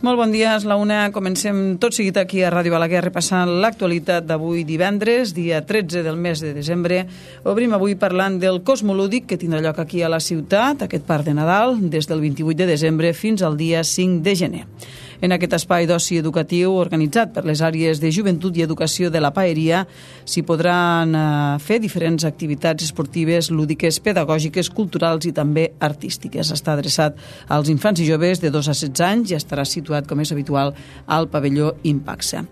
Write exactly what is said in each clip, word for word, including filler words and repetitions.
Molt bon dia, és la una. Comencem tot seguit aquí a Ràdio Balaguer repassant l'actualitat d'avui divendres, dia tretze del mes de desembre. Obrim avui parlant del Cosmolúdic que tindrà lloc aquí a la ciutat, aquest parc de Nadal, des del vint-i-vuit de desembre fins al dia cinc de gener. En aquest espai d'oci educatiu organitzat per les àrees de joventut i educació de la Paeria s'hi podran fer diferents activitats esportives, lúdiques, pedagògiques, culturals i també artístiques. Està adreçat als infants i joves de dos a setze anys i estarà situat, com és habitual, al pavelló Impaxa.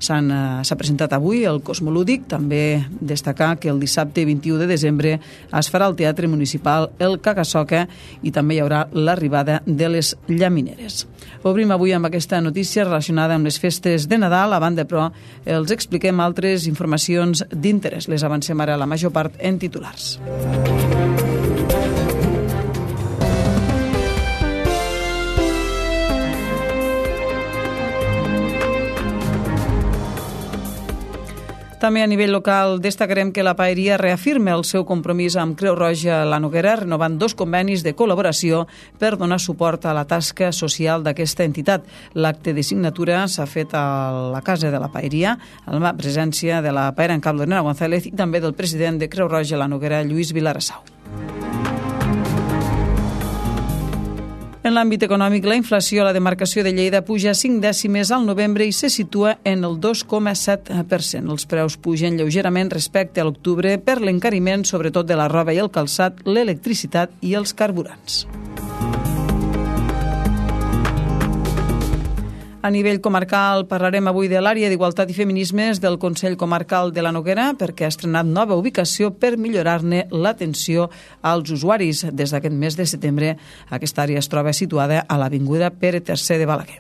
S'ha presentat avui el Cosmolúdic, també destacar que el dissabte vint-i-u de desembre es farà al Teatre Municipal el Cagasoca i també hi haurà l'arribada de les llamineres. Obrim avui amb aquesta notícia relacionada amb les festes de Nadal. A banda, però, els expliquem altres informacions d'interès. Les avancem ara la major part en titulars. També a nivell local destacarem que la Paeria reafirma el seu compromís amb Creu Roja La Noguera, renovant dos convenis de col·laboració per donar suport a la tasca social d'aquesta entitat. L'acte de signatura s'ha fet a la Casa de la Paeria, amb la presència de la paera en cap Lorena González i també del president de Creu Roja La Noguera, Lluís Vilarassau. En l'àmbit econòmic, la inflació a la demarcació de Lleida puja cinc dècimes al novembre i se situa en el dos coma set per cent. Els preus pugen lleugerament respecte a l'octubre per l'encariment, sobretot de la roba i el calçat, l'electricitat i els carburants. A nivell comarcal parlarem avui de l'àrea d'Igualtat i Feminismes del Consell Comarcal de la Noguera perquè ha estrenat nova ubicació per millorar-ne l'atenció als usuaris. Des d'aquest mes de setembre, aquesta àrea es troba situada a l'Avinguda Pere tercer de Balaguer.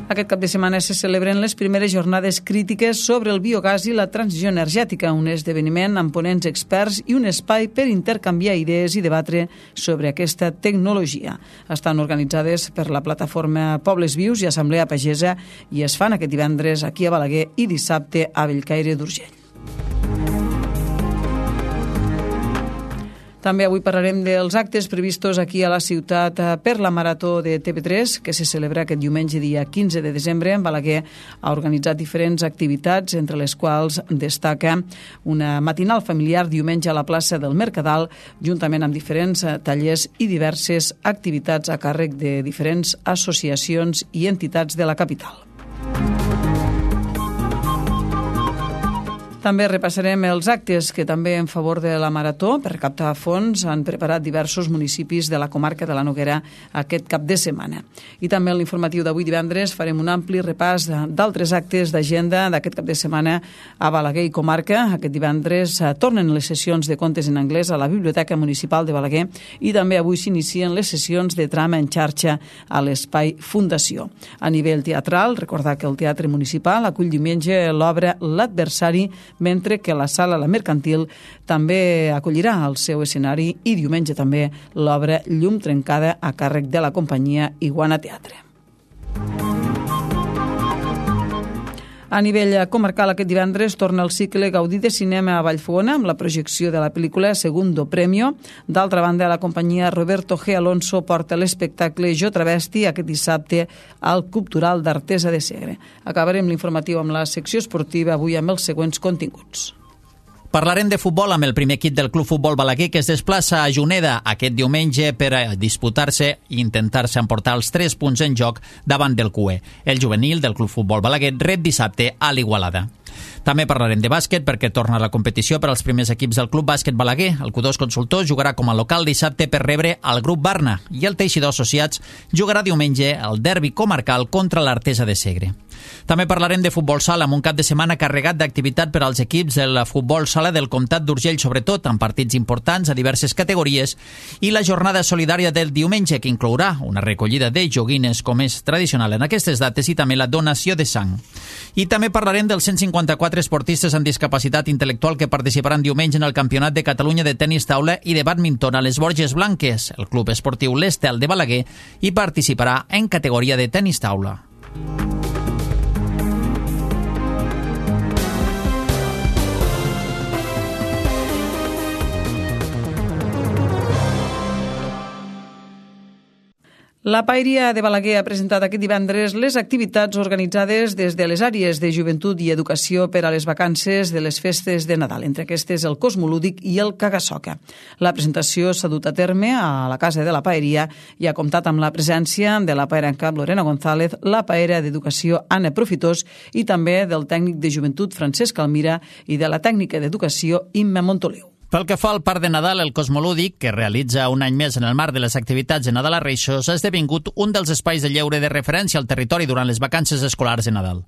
Aquest cap de setmana se celebren les primeres jornades crítiques sobre el biogàs i la transició energètica, un esdeveniment amb ponents experts i un espai per intercanviar idees i debatre sobre aquesta tecnologia. Estan organitzades per la plataforma Pobles Vius i Assemblea Pagesa i es fan aquest divendres aquí a Balaguer i dissabte a Bellcaire d'Urgell. També avui parlarem dels actes previstos aquí a la ciutat per la Marató de T V tres, que se celebra aquest diumenge dia quinze de desembre. En Balaguer ha organitzat diferents activitats, entre les quals destaca una matinal familiar diumenge a la plaça del Mercadal, juntament amb diferents tallers i diverses activitats a càrrec de diferents associacions i entitats de la capital. També repassarem els actes que també en favor de la Marató per recaptar fons han preparat diversos municipis de la comarca de la Noguera aquest cap de setmana. I també en l'informatiu d'avui divendres farem un ampli repàs d'altres actes d'agenda d'aquest cap de setmana a Balaguer i comarca. Aquest divendres tornen les sessions de contes en anglès a la Biblioteca Municipal de Balaguer i també avui s'inicien les sessions de trama en xarxa a l'Espai Fundació. A nivell teatral, recordar que el Teatre Municipal acull diumenge l'obra L'Adversari, mentre que la Sala La Mercantil també acollirà al seu escenari i diumenge també l'obra Llum trencada a càrrec de la companyia Iguana Teatre. A nivell comarcal, aquest divendres torna el cicle Gaudí de Cinema a Vallfogona amb la projecció de la pel·lícula Segundo Premio. D'altra banda, la companyia Roberto G. Alonso porta l'espectacle Jo Travesti aquest dissabte al Cultural d'Artesa de Segre. Acabarem l'informatiu amb la secció esportiva avui amb els següents continguts. Parlarem de futbol amb el primer equip del Club Futbol Balaguer que es desplaça a Juneda aquest diumenge per a disputar-se i intentar-se emportar els tres punts en joc davant del C U E. El juvenil del Club Futbol Balaguer rep dissabte a l'Igualada. També parlarem de bàsquet perquè torna la competició per als primers equips del Club Bàsquet Balaguer. El Q dos Consultor jugarà com a local dissabte per rebre el grup Barna i el Teixidor Associats jugarà diumenge el derbi comarcal contra l'Artesa de Segre. També parlarem de futbol sala amb un cap de setmana carregat d'activitat per als equips del futbol sala del Comtat d'Urgell, sobretot amb partits importants a diverses categories, i la jornada solidària del diumenge, que inclourà una recollida de joguines com és tradicional en aquestes dates i també la donació de sang. I també parlarem dels cent cinquanta-quatre esportistes amb discapacitat intel·lectual que participaran diumenge en el Campionat de Catalunya de tenis taula i de bàdminton a les Borges Blanques. El Club Esportiu L'Estel de Balaguer hi participarà en categoria de tenis taula. La Paeria de Balaguer ha presentat aquest divendres les activitats organitzades des de les àrees de joventut i educació per a les vacances de les festes de Nadal, entre aquestes el Cosmolúdic i el Cagasoca. La presentació s'ha dut a terme a la Casa de la Paeria i ha comptat amb la presència de la paera en cap Lorena González, la paera d'educació Anna Profitós i també del tècnic de joventut Francesc Almira i de la tècnica d'educació Imma Montoliu. Pel que fa al Parc de Nadal, el Cosmolúdic, que realitza un any més en el marc de les activitats de Nadal a Reixos, ha esdevingut un dels espais de lleure de referència al territori durant les vacances escolars de Nadal.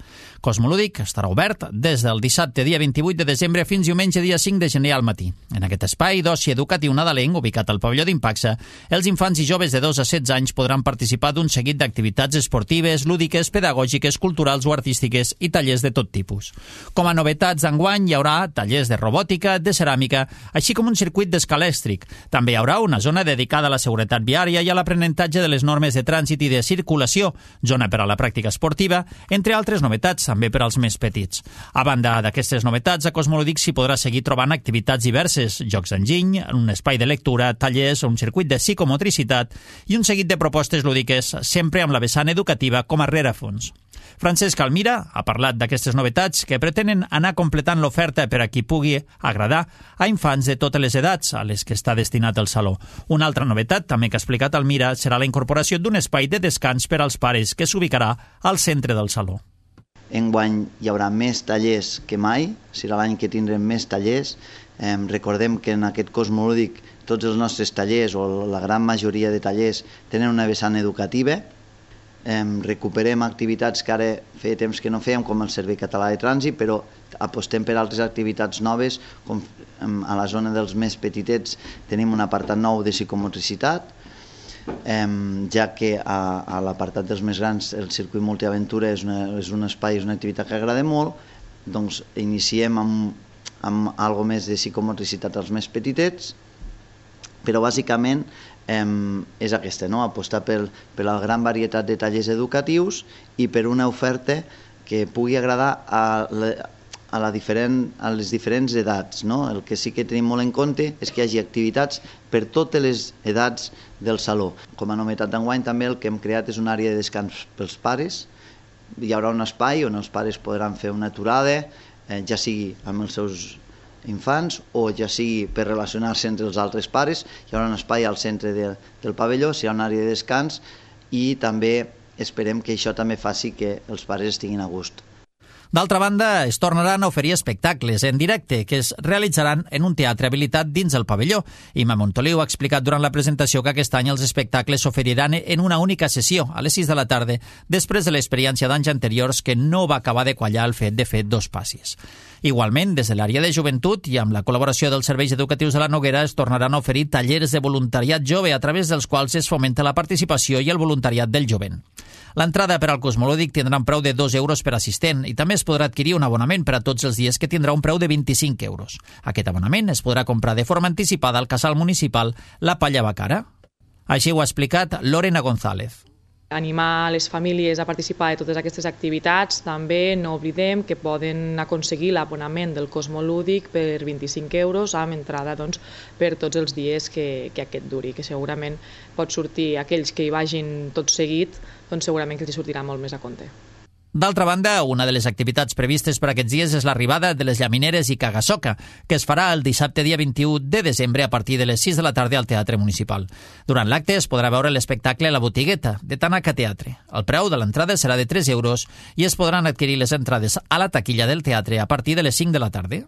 Cosmolúdic estarà obert des del dissabte dia vint-i-vuit de desembre fins diumenge dia cinc de gener al matí. En aquest espai d'oci educatiu nadalenc, ubicat al pavelló d'Impaxa, els infants i joves de dos a setze anys podran participar d'un seguit d'activitats esportives, lúdiques, pedagògiques, culturals o artístiques i tallers de tot tipus. Com a novetats d'enguany hi haurà tallers de robòtica, de ceràmica, així com un circuit d'escalèstric. També hi haurà una zona dedicada a la seguretat viària i a l'aprenentatge de les normes de trànsit i de circulació, zona per a la pràctica esportiva, entre altres novetats també per als més petits. A banda d'aquestes novetats, a Cosmolúdic s'hi podrà seguir trobant activitats diverses, jocs d'enginy, un espai de lectura, tallers, un circuit de psicomotricitat i un seguit de propostes lúdiques, sempre amb la vessant educativa com a rerefons. Francesc Almira ha parlat d'aquestes novetats que pretenen anar completant l'oferta per a qui pugui agradar a infants de totes les edats a les que està destinat el saló. Una altra novetat, també que ha explicat Almira, serà la incorporació d'un espai de descans per als pares que s'ubicarà al centre del saló. Enguany hi haurà més tallers que mai, serà l'any que tindrem més tallers. Eh, recordem que en aquest Cosmolúdic tots els nostres tallers, o la gran majoria de tallers, tenen una vessant educativa. Eh, recuperem activitats que ara feia temps que no fèiem, com el Servei Català de Trànsit, però apostem per altres activitats noves, com a la zona dels més petitets tenim un apartat nou de psicomotricitat, eh, ja que a, a l'apartat dels més grans el circuit multiaventura és, una, és un espai, és una activitat que agrada molt, doncs iniciem amb, amb algo més de psicomotricitat als més petitets, però bàsicament eh, és aquesta, no? Apostar per, per la gran varietat de tallers educatius i per una oferta que pugui agradar a, la, a, la diferent, a les diferents edats, no? El que sí que tenim molt en compte és que hi hagi activitats per totes les edats del saló. Com a novetat d'enguany també el que hem creat és una àrea de descans pels pares. Hi haurà un espai on els pares podran fer una aturada, eh, ja sigui amb els seus infants o ja sigui per relacionar-se entre els altres pares. Hi haurà un espai al centre de, del pavelló, hi ha una àrea de descans i també esperem que això també faci que els pares estiguin a gust. D'altra banda, es tornaran a oferir espectacles en directe que es realitzaran en un teatre habilitat dins el pavelló. Imma Montoliu ha explicat durant la presentació que aquest any els espectacles s'oferiran en una única sessió, a les sis de la tarda, després de l'experiència d'anys anteriors que no va acabar de quallar el fet de fer dos passis. Igualment, des de l'àrea de joventut i amb la col·laboració dels serveis educatius de la Noguera es tornaran a oferir tallers de voluntariat jove a través dels quals es fomenta la participació i el voluntariat del jovent. L'entrada per al Cosmolúdic tindrà un preu de dos euros per assistent i també es podrà adquirir un abonament per a tots els dies que tindrà un preu de vint-i-cinc euros. Aquest abonament es podrà comprar de forma anticipada al casal municipal La Palla Bacara. Així ho ha explicat Lorena González. Animar les famílies a participar de totes aquestes activitats. També no oblidem que poden aconseguir l'abonament del Cosmolúdic per vint-i-cinc euros amb entrada doncs, per tots els dies que, que aquest duri, que segurament pot sortir aquells que hi vagin tot seguit, doncs segurament que els sortirà molt més a compte. D'altra banda, una de les activitats previstes per aquests dies és l'arribada de les llamineres i Cagasoca, que es farà el dissabte dia vint-i-u de desembre a partir de les sis de la tarda al Teatre Municipal. Durant l'acte es podrà veure l'espectacle La Botigueta, de Tanaca Teatre. El preu de l'entrada serà de tres euros i es podran adquirir les entrades a la taquilla del teatre a partir de les cinc de la tarda.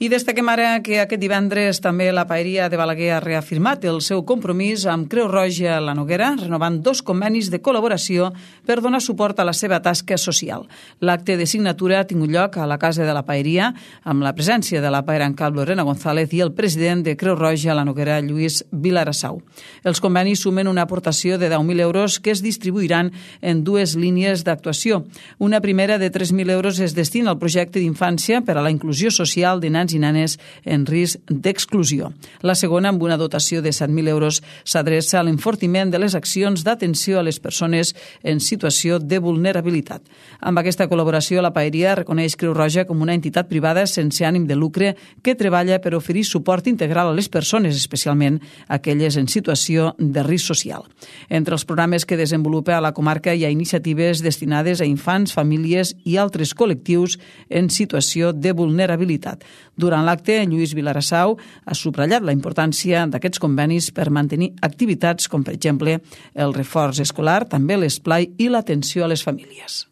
I destaquem ara que aquest divendres també la Paeria de Balaguer ha reafirmat el seu compromís amb Creu Roja La Noguera, renovant dos convenis de col·laboració per donar suport a la seva tasca social. L'acte de signatura ha tingut lloc a la Casa de la Paeria, amb la presència de la paera en cap Lorena González i el president de Creu Roja La Noguera, Lluís Vilarassau. Els convenis sumen una aportació de deu mil euros que es distribuiran en dues línies d'actuació. Una primera de tres mil euros es destina al projecte d'infància per a la inclusió social de nens nens i nenes en risc d'exclusió. La segona, amb una dotació de set mil euros, s'adreça a l'enfortiment de les accions d'atenció a les persones en situació de vulnerabilitat. Amb aquesta col·laboració, la Paeria reconeix Creu Roja com una entitat privada sense ànim de lucre que treballa per oferir suport integral a les persones, especialment aquelles en situació de risc social. Entre els programes que desenvolupa a la comarca hi ha iniciatives destinades a infants, famílies i altres col·lectius en situació de vulnerabilitat. Durant l'acte, Lluís Vilarassau ha subratllat la importància d'aquests convenis per mantenir activitats com, per exemple, el reforç escolar, també l'esplai i l'atenció a les famílies.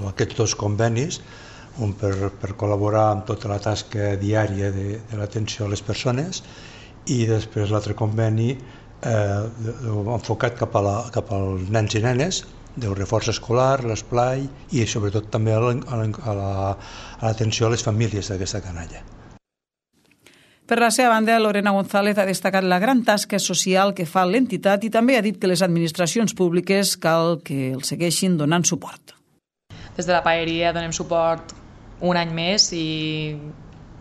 Aquests dos convenis, un per, per col·laborar amb tota la tasca diària de, de l'atenció a les persones i després l'altre conveni eh, enfocat cap, a la, cap als nens i nenes, del reforç escolar, l'esplai i sobretot també a l'atenció a les famílies d'aquesta canalla. Per la seva banda, Lorena González ha destacat la gran tasca social que fa l'entitat i també ha dit que les administracions públiques cal que els segueixin donant suport. Des de la Paeria donem suport un any més i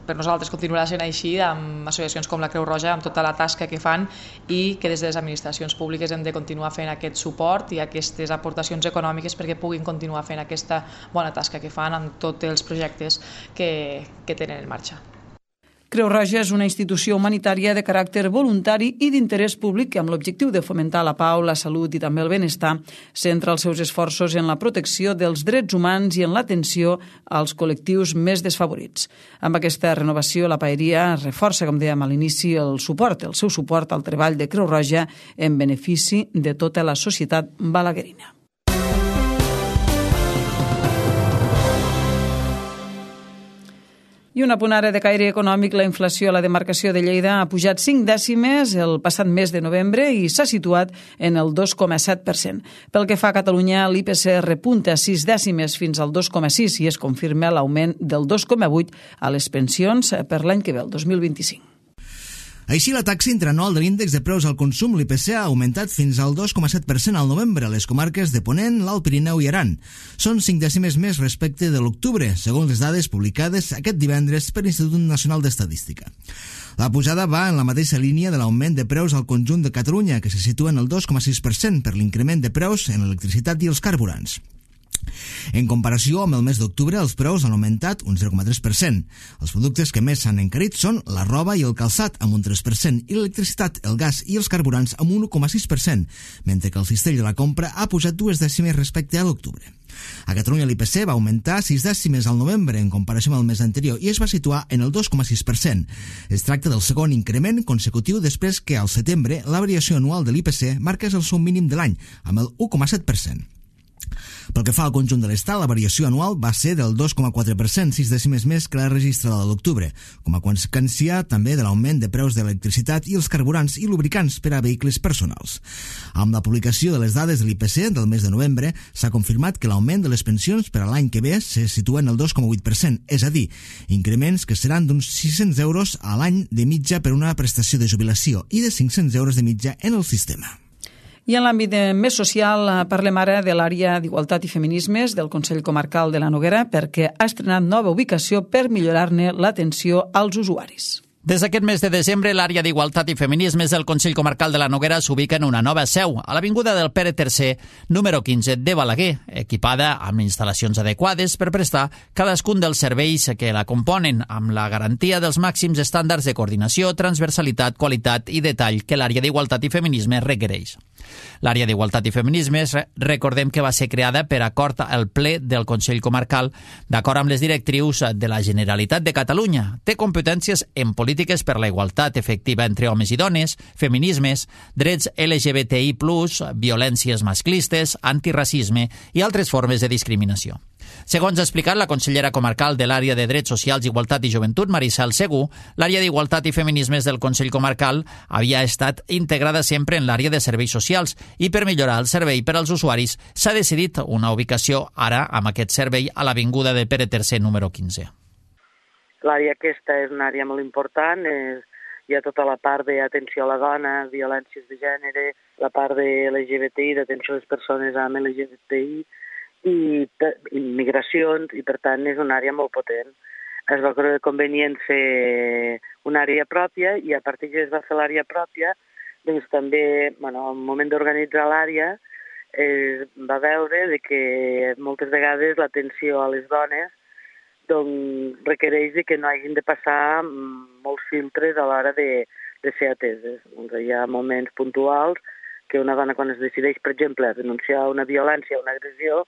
per nosaltres continuarà sent així amb associacions com la Creu Roja, amb tota la tasca que fan i que des de les administracions públiques hem de continuar fent aquest suport i aquestes aportacions econòmiques perquè puguin continuar fent aquesta bona tasca que fan amb tots els projectes que, que tenen en marxa. Creu Roja és una institució humanitària de caràcter voluntari i d'interès públic que, amb l'objectiu de fomentar la pau, la salut i també el benestar, centra els seus esforços en la protecció dels drets humans i en l'atenció als col·lectius més desfavorits. Amb aquesta renovació, la Paeria reforça, com dèiem a l'inici, el suport, el seu suport al treball de Creu Roja en benefici de tota la societat balaguerina. I una punt ara de caire econòmic, la inflació a la demarcació de Lleida ha pujat cinc dècimes el passat mes de novembre i s'ha situat en el dos coma set per cent. Pel que fa a Catalunya, l'I P C repunta sis dècimes fins al dos coma sis i es confirma l'augment del dos coma vuit a les pensions per l'any que ve, el dos mil vint-i-cinc. Així, la taxa interanual de l'índex de preus al consum, l'I P C, ha augmentat fins al dos coma set per cent al novembre a les comarques de Ponent, l'Alt Pirineu i Aran. Són cinc dècimes més respecte de l'octubre, segons les dades publicades aquest divendres per l'Institut Nacional d'Estadística. La pujada va en la mateixa línia de l'augment de preus al conjunt de Catalunya, que se situa en el dos coma sis per cent per l'increment de preus en l'electricitat i els carburants. En comparació amb el mes d'octubre, els preus han augmentat un zero coma tres per cent. Els productes que més s'han encarit són la roba i el calçat, amb un tres per cent, i l'electricitat, el gas i els carburants, amb un un coma sis per cent, mentre que el cistell de la compra ha pujat dues dècimes respecte a l'octubre. A Catalunya l'I P C va augmentar sis dècimes al novembre en comparació amb el mes anterior i es va situar en el dos coma sis per cent. Es tracta del segon increment consecutiu després que al setembre la variació anual de l'I P C marqués el seu mínim de l'any, amb el u coma set per cent. Pel que fa al conjunt de l'estat, la variació anual va ser del dos coma quatre per cent, sis dècimes més que la registrada de l'octubre, com a conseqüència també de l'augment de preus de l'electricitat i els carburants i lubricants per a vehicles personals. Amb la publicació de les dades de l'I P C del mes de novembre, s'ha confirmat que l'augment de les pensions per a l'any que ve se situa en el dos coma vuit per cent, és a dir, increments que seran d'uns sis-cents euros a l'any de mitja per una prestació de jubilació i de cinc-cents euros de mitja en el sistema. I en l'àmbit més social parlem ara de l'àrea d'Igualtat i Feminismes del Consell Comarcal de la Noguera perquè ha estrenat nova ubicació per millorar-ne l'atenció als usuaris. Des d'aquest mes de desembre, l'àrea d'Igualtat i Feminismes del Consell Comarcal de la Noguera s'ubica en una nova seu, a l'avinguda del Pere tercer, número quinze de Balaguer, equipada amb instal·lacions adequades per prestar cadascun dels serveis que la componen, amb la garantia dels màxims estàndards de coordinació, transversalitat, qualitat i detall que l'àrea d'Igualtat i Feminismes requereix. L'àrea d'Igualtat i Feminismes, recordem que va ser creada per acord al ple del Consell Comarcal, d'acord amb les directrius de la Generalitat de Catalunya. Té competències en polítiques per la igualtat efectiva entre homes i dones, feminismes, drets L G B T I plus, violències masclistes, antiracisme i altres formes de discriminació. Segons ha explicat la consellera comarcal de l'àrea de Drets Socials, Igualtat i Joventut, Maricel Segú, l'àrea d'Igualtat i Feminismes del Consell Comarcal havia estat integrada sempre en l'àrea de serveis socials i per millorar el servei per als usuaris s'ha decidit una ubicació ara amb aquest servei a l'avinguda de Pere tercer número quinze. L'àrea aquesta és una àrea molt important, és, hi ha tota la part d'atenció a la dona, violències de gènere, la part de L G B T I, d'atenció a les persones amb L G B T I, i immigracions, i per tant és una àrea molt potent. es va creure convenient fer una àrea pròpia i a partir que es va fer l'àrea pròpia, doncs també, bueno, al moment d'organitzar l'àrea, es va veure de que moltes vegades l'atenció a les dones doncs, requereix de que no hagin de passar molts filtres a l'hora de, de ser ateses. Doncs hi ha moments puntuals que una dona quan es decideix, per exemple, a denunciar una violència o una agressió,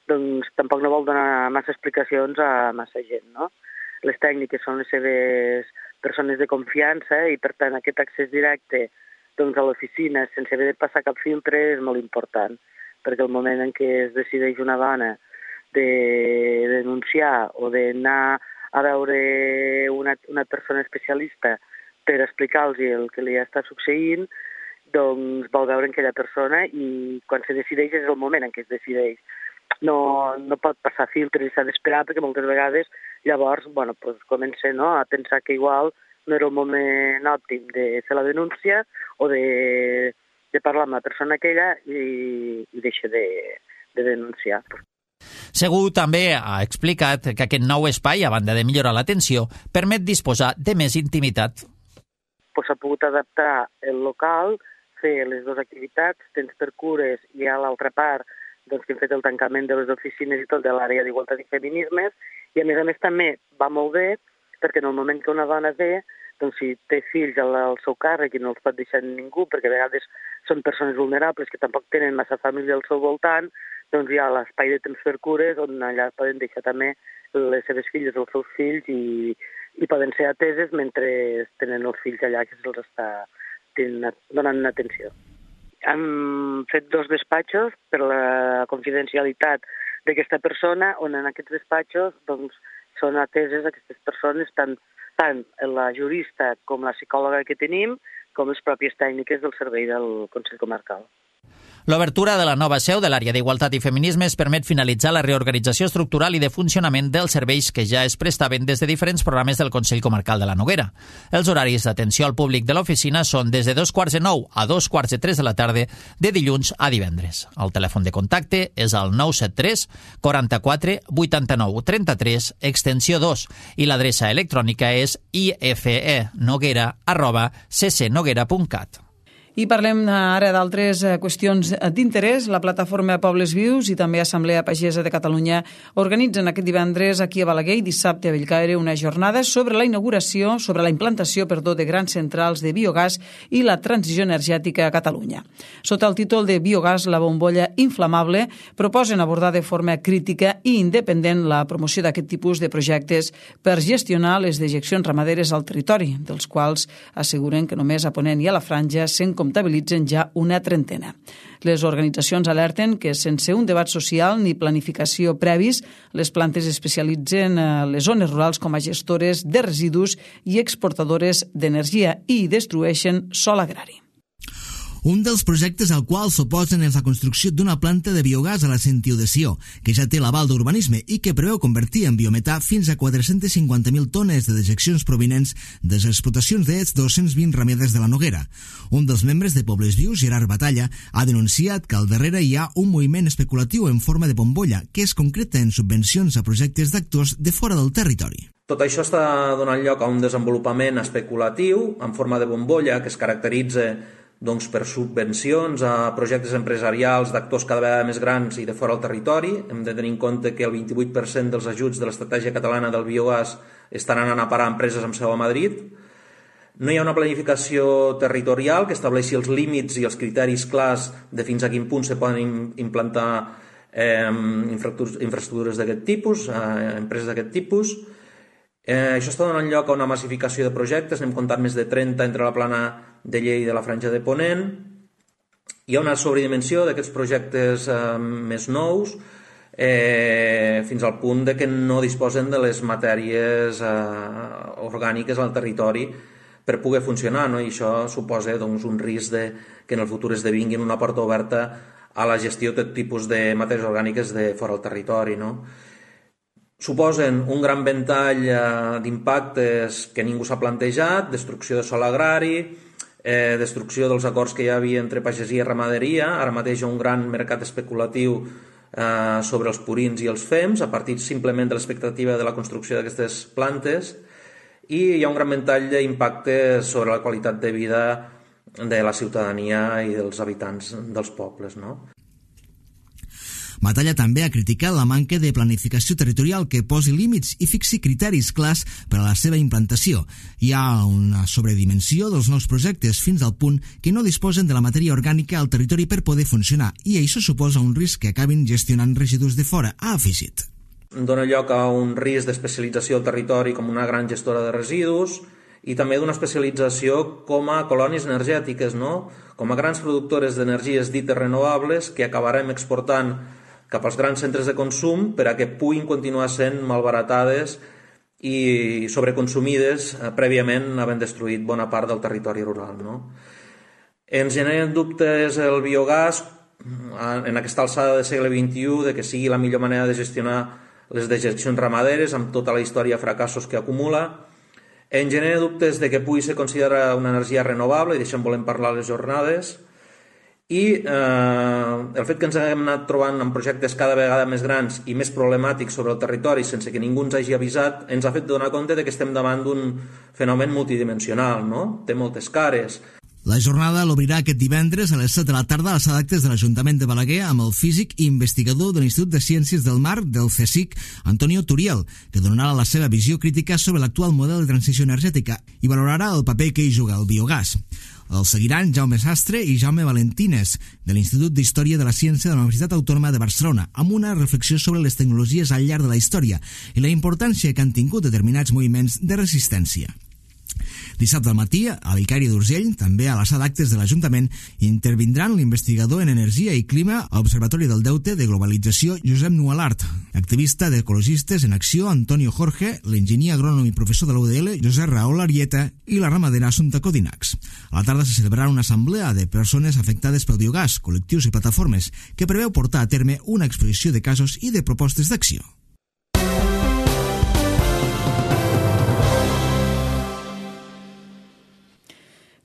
doncs tampoc no vol donar massa explicacions a massa gent, no? Les tècniques són les seves persones de confiança i, per tant, aquest accés directe doncs, a l'oficina sense haver de passar cap filtre és molt important, perquè el moment en què es decideix una dona de denunciar o d'anar a veure una, una persona especialista per explicar-los el que li està succeint, doncs vol veure en aquella persona i quan se decideix és el moment en què es decideix. No, no pot passar filtres i s'ha d'esperar perquè moltes vegades llavors bueno, pues, comença no, a pensar que igual no era el moment òptim de fer la denúncia o de, de parlar amb la persona aquella i, i deixa de, de denunciar. Segur també ha explicat que aquest nou espai, a banda de millorar l'atenció, permet disposar de més intimitat. Pues s'ha pogut adaptar el local, fer les dues activitats, temps per cures i a l'altra part doncs, que hem fet el tancament de les oficines i tot de l'àrea d'igualtat i feminismes, i a més a més també va molt bé perquè en el moment que una dona ve, doncs si té fills al, al seu càrrec i no els pot deixar ningú, perquè a vegades són persones vulnerables que tampoc tenen massa família al seu voltant, doncs hi ha l'espai de temps per cures on allà poden deixar també les seves filles o els seus fills i, i poden ser ateses mentre tenen els fills allà que se'ls està donant atenció. Hem fet dos despatxos per la confidencialitat d'aquesta persona, on en aquests despatxos doncs, són ateses aquestes persones, tant, tant la jurista com la psicòloga que tenim, com les pròpies tècniques del servei del Consell Comarcal. L'obertura de la nova seu de l'àrea d'Igualtat i Feminismes permet finalitzar la reorganització estructural i de funcionament dels serveis que ja es prestaven des de diferents programes del Consell Comarcal de la Noguera. Els horaris d'atenció al públic de l'oficina són des de dos quarts de nou a dos quarts de tres de la tarda de dilluns a divendres. El telèfon de contacte és el nou set tres quaranta-quatre vuitanta-nou trenta-tres extensió dos i l'adreça electrònica és ifenoguera arroba ccnoguera punt cat. I parlem ara d'altres qüestions d'interès. La plataforma Pobles Vius i també Assemblea Pagesa de Catalunya organitzen aquest divendres aquí a Balaguer i dissabte a Bellcaire una jornada sobre la inauguració, sobre la implantació, perdó, de grans centrals de biogàs i la transició energètica a Catalunya. Sota el títol de Biogàs, la bombolla inflamable, proposen abordar de forma crítica i independent la promoció d'aquest tipus de projectes per gestionar les dejeccions ramaderes al territori, dels quals asseguren que només a Ponent i a la Franja se'n comptabilitzen ja una trentena. Les organitzacions alerten que sense un debat social ni planificació previs, les plantes especialitzen a les zones rurals com a gestores de residus i exportadores d'energia i destrueixen sòl agrari. Un dels projectes al qual s'oposen és la construcció d'una planta de biogàs a la Sentiudeció, que ja té l'aval d'urbanisme i que preveu convertir en biometà fins a quatre-cents cinquanta mil tones de dejeccions provinents de les explotacions de dos-cents vint ramedes de la Noguera. Un dels membres de Pobles Vius, Gerard Batalla, ha denunciat que al darrere hi ha un moviment especulatiu en forma de bombolla que es concreta en subvencions a projectes d'actors de fora del territori. Tot això està donant lloc a un desenvolupament especulatiu en forma de bombolla que es caracteritza doncs, per subvencions a projectes empresarials d'actors cada vegada més grans i de fora del territori. Hem de tenir en compte que el vint-i-vuit per cent dels ajuts de l'estratègia catalana del biogàs estan anant a parar a empreses amb seu a Madrid. No hi ha una planificació territorial que estableixi els límits i els criteris clars de fins a quin punt se poden implantar eh, infraestructures d'aquest tipus, eh, empreses d'aquest tipus. Eh, això està donant lloc a una massificació de projectes, n'hem comptat més de trenta entre la plana de Lleida i de la Franja de Ponent. Hi ha una sobredimensió d'aquests projectes eh, més nous eh, fins al punt de que no disposen de les matèries eh, orgàniques al territori per poder funcionar, no? I això suposa doncs, un risc de que en el futur esdevinguin una porta oberta a la gestió de tot tipus de matèries orgàniques de fora del territori, no? Suposen un gran ventall eh, d'impactes que ningú s'ha plantejat, destrucció de sòl agrari, eh, destrucció dels acords que hi havia entre pagesia i ramaderia. Ara mateix hi ha un gran mercat especulatiu eh, sobre els purins i els fems, a partir simplement de l'expectativa de la construcció d'aquestes plantes, i hi ha un gran ventall d'impacte sobre la qualitat de vida de la ciutadania i dels habitants dels pobles, no? Batalla també ha criticat la manca de planificació territorial que posi límits i fixi criteris clars per a la seva implantació. Hi ha una sobredimensió dels nous projectes fins al punt que no disposen de la matèria orgànica al territori per poder funcionar i això suposa un risc que acabin gestionant residus de fora, ha afegit. Dóna lloc a un risc d'especialització del territori com una gran gestora de residus i també d'una especialització com a colònies energètiques, no? Com a grans productores d'energies dites renovables que acabarem exportant cap als grans centres de consum per a que puguin continuar sent malbaratades i sobreconsumides eh, prèviament havent destruït bona part del territori rural, no? Ens generen dubtes el biogàs en aquesta alçada del segle vint-i-u de que sigui la millor manera de gestionar les dejeccions ramaderes amb tota la història de fracassos que acumula. Ens genera dubtes de que pugui ser considerada una energia renovable i d'això en volem parlar a les jornades. I eh, el fet que ens haguem anat trobant amb projectes cada vegada més grans i més problemàtics sobre el territori sense que ningú ens hagi avisat ens ha fet donar compte de que estem davant d'un fenomen multidimensional, no? Té moltes cares. La jornada l'obrirà aquest divendres a les set de la tarda a la sala d'actes de l'Ajuntament de Balaguer amb el físic i investigador de l'Institut de Ciències del Mar del CSIC, Antonio Turiel, que donarà la seva visió crítica sobre l'actual model de transició energètica i valorarà el paper que hi juga el biogàs. El seguiran Jaume Sastre i Jaume Valentines, de l'Institut d'Història de la Ciència de la Universitat Autònoma de Barcelona, amb una reflexió sobre les tecnologies al llarg de la història i la importància que han tingut determinats moviments de resistència. Dissabte al matí, a l'Icari d'Urgell, també a la sala d'actes de l'Ajuntament, intervindran l'investigador en energia i clima a l'Observatori del Deute de Globalització Josep Nualart, activista d'Ecologistes en Acció Antonio Jorge, l'enginyer agrònom i professor de la U D L Josep Raül Arieta i la ramadera Assumpta Codinacs. A la tarda se celebrarà una assemblea de persones afectades pel biogàs, col·lectius i plataformes, que preveu portar a terme una exposició de casos i de propostes d'acció.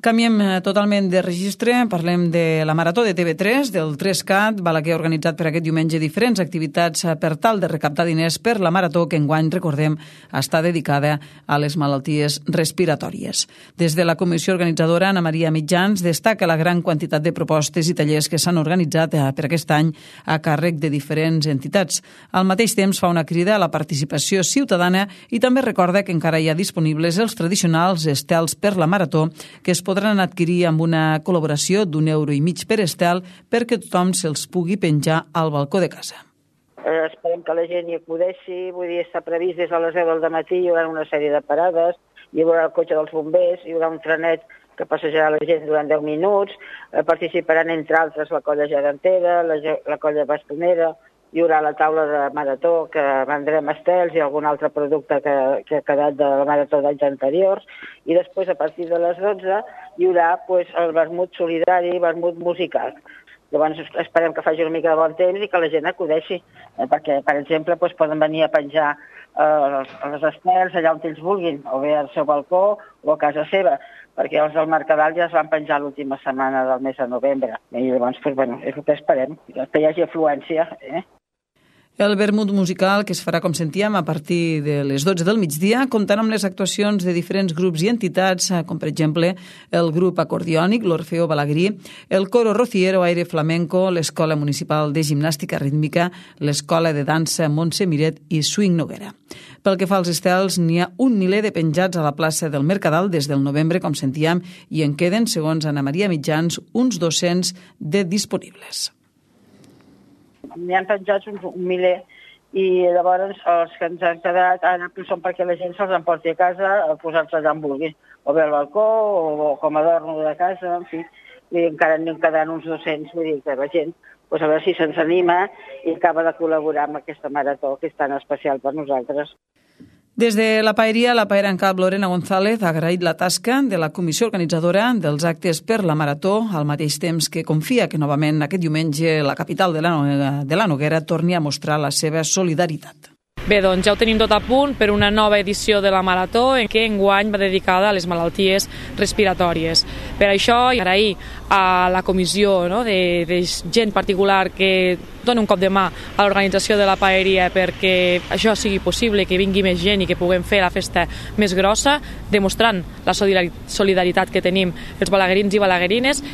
Canviem totalment de registre, parlem de la Marató de T V tres, del tres cat, Balaguer ha organitzat per aquest diumenge diferents activitats per tal de recaptar diners per la Marató que enguany, recordem, està dedicada a les malalties respiratòries. Des de la comissió organitzadora, Ana Maria Mitjans destaca la gran quantitat de propostes i tallers que s'han organitzat per aquest any a càrrec de diferents entitats. Al mateix temps fa una crida a la participació ciutadana i també recorda que encara hi ha disponibles els tradicionals estels per la Marató que es podran adquirir amb una col·laboració d'un euro i mig per estel perquè tothom se'ls pugui penjar al balcó de casa. Eh, esperem que la gent hi acudeixi, vull dir, està previst des de les deu del matí, hi haurà una sèrie de parades, hi haurà el cotxe dels bombers, hi haurà un trenet que passejarà la gent durant deu minuts, eh, participaran entre altres la colla gegantera, la, la colla bastonera, hi haurà la taula de marató que vendrem estels i algun altre producte que, que ha quedat de la marató d'anys anteriors i després a partir de les dotze hi haurà pues, el vermut solidari, vermut musical. Llavors esperem que faci una mica de bon temps i que la gent acudeixi, eh, perquè, per exemple, pues, poden venir a penjar eh, els estels allà on ells vulguin, o bé al seu balcó o a casa seva, perquè els del Mercadal ja es van penjar l'última setmana del mes de novembre. I llavors, pues, bueno, és el que esperem, que hi hagi afluència, eh? El vermut musical, que es farà, com sentíem, a partir de les dotze del migdia, comptarà amb les actuacions de diferents grups i entitats, com per exemple el grup acordiònic, l'Orfeo Balagrí, el coro rociero Aire Flamenco, l'Escola Municipal de Gimnàstica Rítmica, l'Escola de Dansa Montse Miret i Swing Noguera. Pel que fa als estels, n'hi ha un miler de penjats a la plaça del Mercadal des del novembre, com sentíem, i en queden, segons Ana Maria Mitjans, uns dos-cents de disponibles. N'hi han penjats uns un miler i llavors els que ens han quedat ara són perquè la gent se'ls emporti a casa a posar-se allà on vulgui, o bé al balcó o com a adorno de casa, en fi, i encara n'hi quedaran uns dos-cents, vull dir que la gent, pues a veure si se'ns anima i acaba de col·laborar amb aquesta marató que és tan especial per nosaltres. Des de la paeria, la paera en cap Lorena González ha agraït la tasca de la comissió organitzadora dels actes per la Marató, al mateix temps que confia que novament aquest diumenge la capital de la, de la Noguera torni a mostrar la seva solidaritat. Bé, doncs ja ho tenim tot a punt per una nova edició de la Marató, en què enguany va dedicada a les malalties respiratòries. Per això, agrair a la comissió, no, de, de gent particular que dona un cop de mà a l'organització de la paeria perquè això sigui possible, que vingui més gent i que puguem fer la festa més grossa, demostrant la solidaritat que tenim els balaguerins i balaguerines.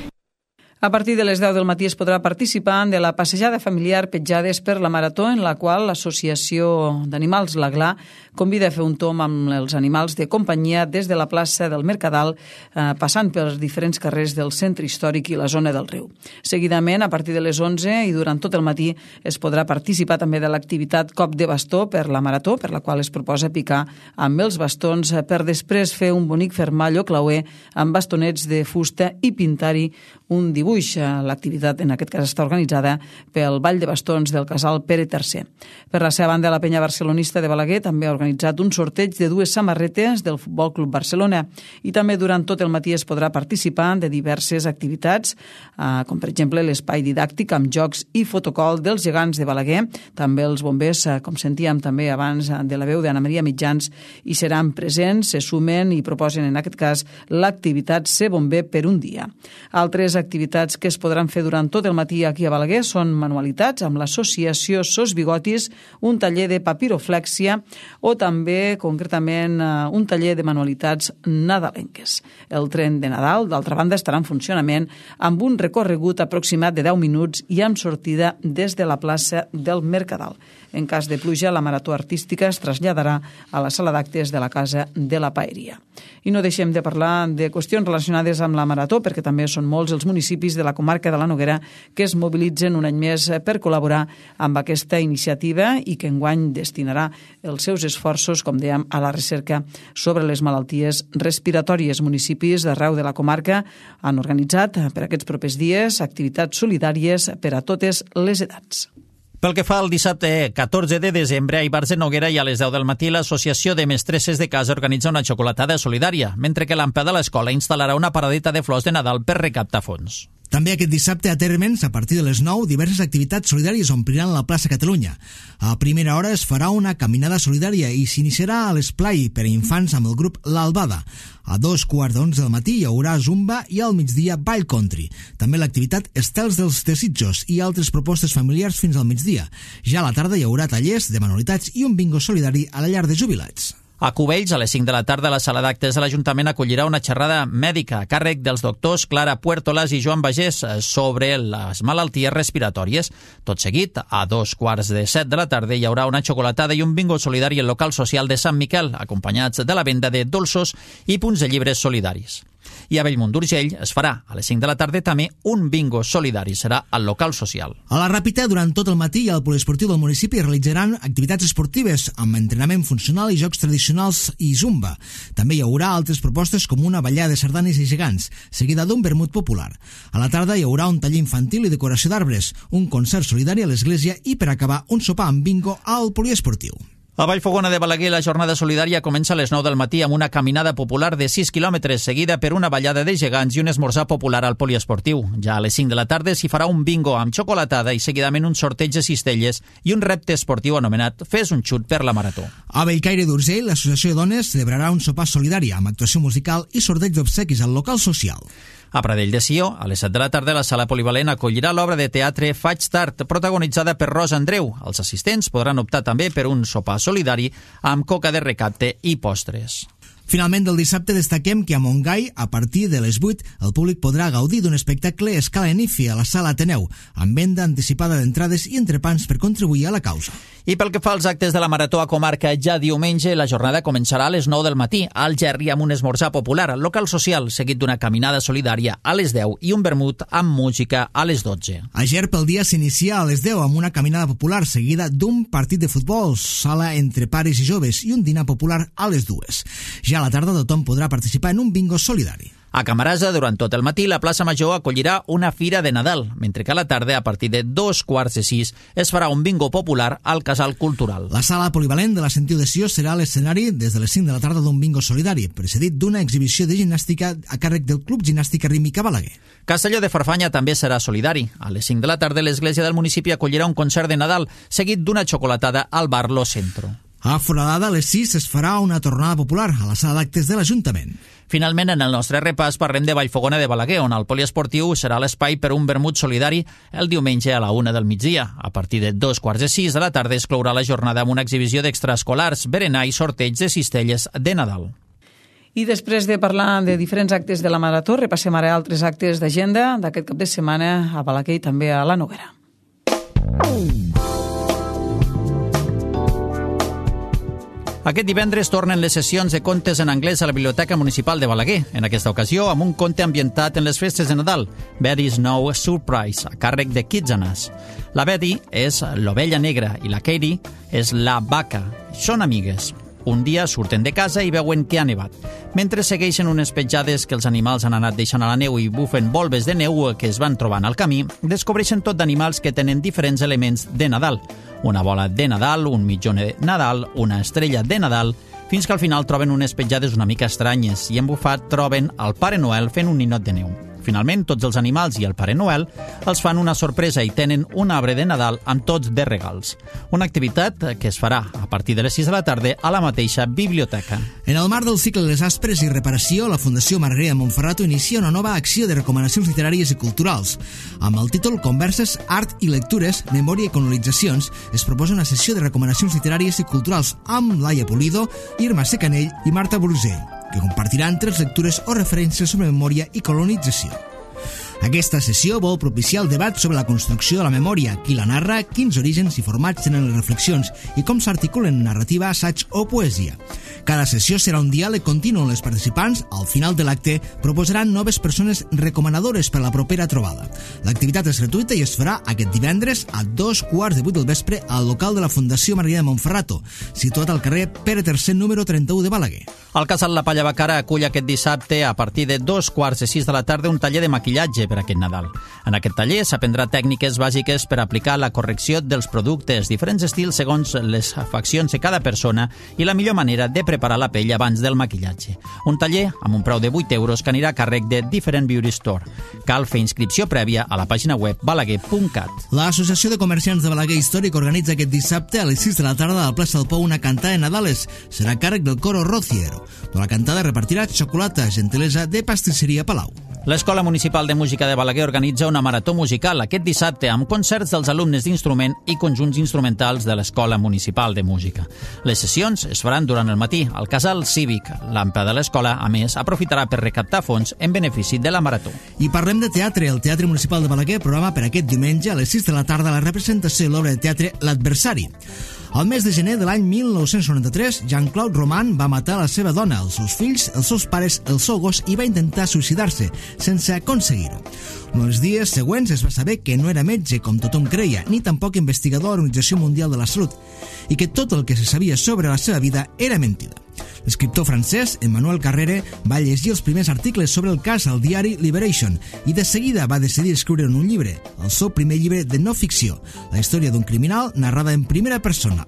A partir de les deu del matí es podrà participar de la passejada familiar Petjades per la Marató, en la qual l'Associació d'Animals La Gla convida a fer un tomb amb els animals de companyia des de la plaça del Mercadal, eh, passant pels diferents carrers del centre històric i la zona del riu. Seguidament, a partir de les onze i durant tot el matí, es podrà participar també de l'activitat Cop de Bastó per la Marató, per la qual es proposa picar amb els bastons per després fer un bonic fermall o clauer amb bastonets de fusta i pintar-hi un dibuix. L'activitat en aquest cas està organitzada pel Ball de Bastons del Casal Pere tercer. Per la seva banda, la penya barcelonista de Balaguer també ha organitzat un sorteig de dues samarretes del Futbol Club Barcelona i també durant tot el matí es podrà participar de diverses activitats, eh, com per exemple l'espai didàctic amb jocs i fotocol dels gegants de Balaguer. També els bombers, eh, com sentíem també abans de la veu d'Anna Maria Mitjans, hi seran presents, se sumen i proposen en aquest cas l'activitat Ser Bomber per un dia. Altres activitats que es podran fer durant tot el matí aquí a Balaguer són manualitats amb l'associació Sos Bigotis, un taller de papiroflèxia o també, concretament, un taller de manualitats nadalenques. El tren de Nadal, d'altra banda, estarà en funcionament amb un recorregut aproximat de deu minuts i amb sortida des de la plaça del Mercadal. En cas de pluja, la marató artística es traslladarà a la sala d'actes de la Casa de la Paeria. I no deixem de parlar de qüestions relacionades amb la marató, perquè també són molts els municipis de la comarca de la Noguera que es mobilitzen un any més per col·laborar amb aquesta iniciativa i que enguany destinarà els seus esforços, com dèiem, a la recerca sobre les malalties respiratòries. Municipis d'arreu de la comarca han organitzat per aquests propers dies activitats solidàries per a totes les edats. Pel que fa al dissabte catorze de desembre, a Ivars de Noguera i a les deu del matí, l'Associació de Mestresses de Casa organitza una xocolatada solidària, mentre que l'Ampa de l'escola instal·larà una paradeta de flors de Nadal per recaptar fons. També aquest dissabte a Térmens, a partir de les nou, diverses activitats solidàries ompliran la plaça Catalunya. A primera hora es farà una caminada solidària i s'iniciarà a l'esplai per a infants amb el grup L'Albada. A dos quarts d'onze del matí hi haurà zumba i al migdia ball country. També l'activitat Estels dels Desitjos i altres propostes familiars fins al migdia. Ja a la tarda hi haurà tallers de manualitats i un bingo solidari a la llar de jubilats. A Cubells, a les cinc de la tarda, la sala d'actes de l'Ajuntament acollirà una xerrada mèdica a càrrec dels doctors Clara Puertolas i Joan Bagés sobre les malalties respiratòries. Tot seguit, a dos quarts de set de la tarda, hi haurà una xocolatada i un bingo solidari al local social de Sant Miquel, acompanyats de la venda de dolços i punts de llibres solidaris. I a Bellmunt d'Urgell es farà a les cinc de la tarda també un bingo solidari, serà al local social. A la Ràpita, durant tot el matí i al poliesportiu del municipi realitzaran activitats esportives amb entrenament funcional i jocs tradicionals i zumba. També hi haurà altres propostes com una ballada de sardanes i gegants, seguida d'un vermut popular. A la tarda hi haurà un taller infantil i decoració d'arbres, un concert solidari a l'església i, per acabar, un sopar amb bingo al poliesportiu. A Vallfogona de Balaguer, la jornada solidària comença a les nou del matí amb una caminada popular de sis quilòmetres, seguida per una ballada de gegants i un esmorzar popular al poliesportiu. Ja a les cinc de la tarda s'hi farà un bingo amb xocolatada i seguidament un sorteig de cistelles i un repte esportiu anomenat Fes un xut per la marató. A Bellcaire d'Urgell, l'Associació de Dones celebrarà un sopar solidari amb actuació musical i sorteig d'obsequis al local social. A Pradell de Sió, a les set de la tarda, la sala polivalent acollirà l'obra de teatre Faig tard, protagonitzada per Rosa Andreu. Els assistents podran optar també per un sopar solidari amb coca de recapte i postres. Finalment, del dissabte destaquem que a Montgai, a partir de les vuit, el públic podrà gaudir d'un espectacle a escala Nifi a la sala Ateneu, amb venda anticipada d'entrades i entrepans per contribuir a la causa. I pel que fa als actes de la Marató a Comarca, ja diumenge la jornada començarà a les nou del matí, al Gerri amb un esmorzar popular al local social, seguit d'una caminada solidària a les deu i un vermut amb música a les dotze. A Ger, pel dia s'inicia a les deu amb una caminada popular seguida d'un partit de futbol, sala entre pares i joves i un dinar popular a les dues. Ja a la tarda tothom podrà participar en un bingo solidari. A Camarasa, durant tot el matí, la plaça Major acollirà una fira de Nadal, mentre que a la tarda, a partir de dos quarts de sis, es farà un bingo popular al Casal Cultural. La sala polivalent de la Sentiu de Sió serà l'escenari des de les cinc de la tarda d'un bingo solidari, precedit d'una exhibició de gimnàstica a càrrec del Club Gimnàstica Rítmica Balaguer. Castelló de Farfanya també serà solidari. A les cinc de la tarda, l'església del municipi acollirà un concert de Nadal, seguit d'una xocolatada al bar Lo Centro. A Foradada, a les sis, es farà una tornada popular a la sala d'actes de l'Ajuntament. Finalment, en el nostre repàs parlem de Vallfogona de Balaguer, on el poliesportiu serà l'espai per un vermut solidari el diumenge a la una del migdia. A partir de dos quarts de sis de la tarda es clourà la jornada amb una exhibició d'extraescolars, berenar i sorteig de cistelles de Nadal. I després de parlar de diferents actes de la Marató, repassem ara altres actes d'agenda d'aquest cap de setmana a Balaguer i també a la Noguera. Aquest divendres tornen les sessions de contes en anglès a la Biblioteca Municipal de Balaguer, en aquesta ocasió amb un conte ambientat en les festes de Nadal, Betty's No Surprise, a càrrec de Kids and Us. La Betty és l'ovella negra i la Katie és la vaca. Són amigues. Un dia surten de casa i veuen que ha nevat. Mentre segueixen unes petjades que els animals han anat deixant a la neu i bufen volves de neu que es van trobant al camí, descobreixen tot d'animals que tenen diferents elements de Nadal. Una bola de Nadal, un mitjó de Nadal, una estrella de Nadal, fins que al final troben unes petjades una mica estranyes i embufat troben el Pare Noel fent un ninot de neu. Finalment, tots els animals i el Pare Noel els fan una sorpresa i tenen un arbre de Nadal amb tots de regals. Una activitat que es farà a partir de les sis de la tarda a la mateixa biblioteca. En el marc del cicle de les Aspres i reparació, la Fundació Margarida Montferrato inicia una nova acció de recomanacions literàries i culturals. Amb el títol Converses, Art i Lectures, Memòria i Colonitzacions, es proposa una sessió de recomanacions literàries i culturals amb Laia Pulido, Irma Secanell i Marta Brusell, que compartiran tres lectures o referències sobre memòria i colonització. Aquesta sessió vol propiciar el debat sobre la construcció de la memòria, qui la narra, quins orígens i formats tenen les reflexions i com s'articulen en narrativa, assaig o poesia. Cada sessió serà un diàleg continu on les participants, al final de l'acte, proposaran noves persones recomanadores per a la propera trobada. L'activitat és gratuïta i es farà aquest divendres a dos quarts de vuit del vespre al local de la Fundació Margarida Montferrato, situat al carrer Pere tercer número trenta-u de Balaguer. El Casal La Palla Bacara acull aquest dissabte a partir de dos quarts de sis de la tarda un taller de maquillatge per aquest Nadal. En aquest taller s'aprendrà tècniques bàsiques per aplicar la correcció dels productes, diferents estils segons les faccions de cada persona i la millor manera de preparar la pell abans del maquillatge. Un taller amb un preu de vuit euros que anirà a càrrec de Different Beauty Store. Cal fer inscripció prèvia a la pàgina web balaguer punt cat. L'Associació de Comerciants de Balaguer Històric organitza aquest dissabte a les sis de la tarda a la plaça del Pou una cantada de Nadales. Serà a càrrec del coro Rociero. La cantada repartirà xocolata, gentilesa de pastisseria Palau. L'Escola Municipal de Música de Balaguer organitza una marató musical aquest dissabte amb concerts dels alumnes d'instrument i conjunts instrumentals de l'Escola Municipal de Música. Les sessions es faran durant el matí al Casal Cívic. L'AMPA de l'escola, a més, aprofitarà per recaptar fons en benefici de la marató. I parlem de teatre. El Teatre Municipal de Balaguer programa per aquest diumenge a les sis de la tarda la representació de l'obra de teatre L'Adversari. Al mes de gener de l'any mil nou-cents noranta-tres, Jean-Claude Roman va matar la seva dona, els seus fills, els seus pares, el seu gos i va intentar suïcidar-se, sense aconseguir-ho. En els dies següents es va saber que no era metge, com tothom creia, ni tampoc investigador de l'Organització Mundial de la Salut, i que tot el que se sabia sobre la seva vida era mentida. L'escriptor francès Emmanuel Carrere va llegir els primers articles sobre el cas al diari Liberation i de seguida va decidir escriure un llibre, el seu primer llibre de no ficció, la història d'un criminal narrada en primera persona.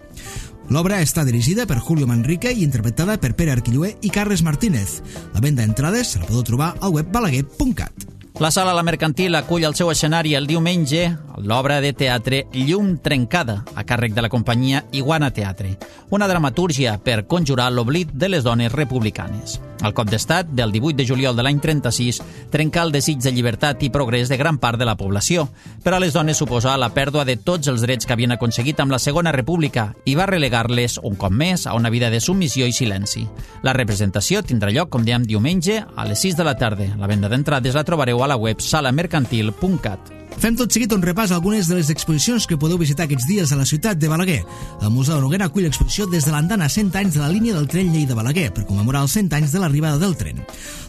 L'obra està dirigida per Julio Manrique i interpretada per Pere Arquillué i Carles Martínez. La venda d'entrades se la podeu trobar al web balaguer punt cat. La Sala La Mercantil acull al seu escenari el diumenge l'obra de teatre Llum trencada, a càrrec de la companyia Iguana Teatre, una dramatúrgia per conjurar l'oblit de les dones republicanes. El cop d'estat del divuit de juliol de l'any trenta-sis trenca el desig de llibertat i progrés de gran part de la població, però a les dones suposa la pèrdua de tots els drets que havien aconseguit amb la Segona República i va relegar-les un cop més a una vida de submissió i silenci. La representació tindrà lloc, com dèiem, diumenge a les sis de la tarda. La venda d'entrades la trobareu a la web sala mercantil punt cat. Fem tot seguit un repàs a algunes de les exposicions que podeu visitar aquests dies a la ciutat de Balaguer. El Museu de Noguera acull l'exposició des de l'andana cent anys de la línia del tren Lleida-Balaguer per commemorar els cent anys de l'arribada del tren.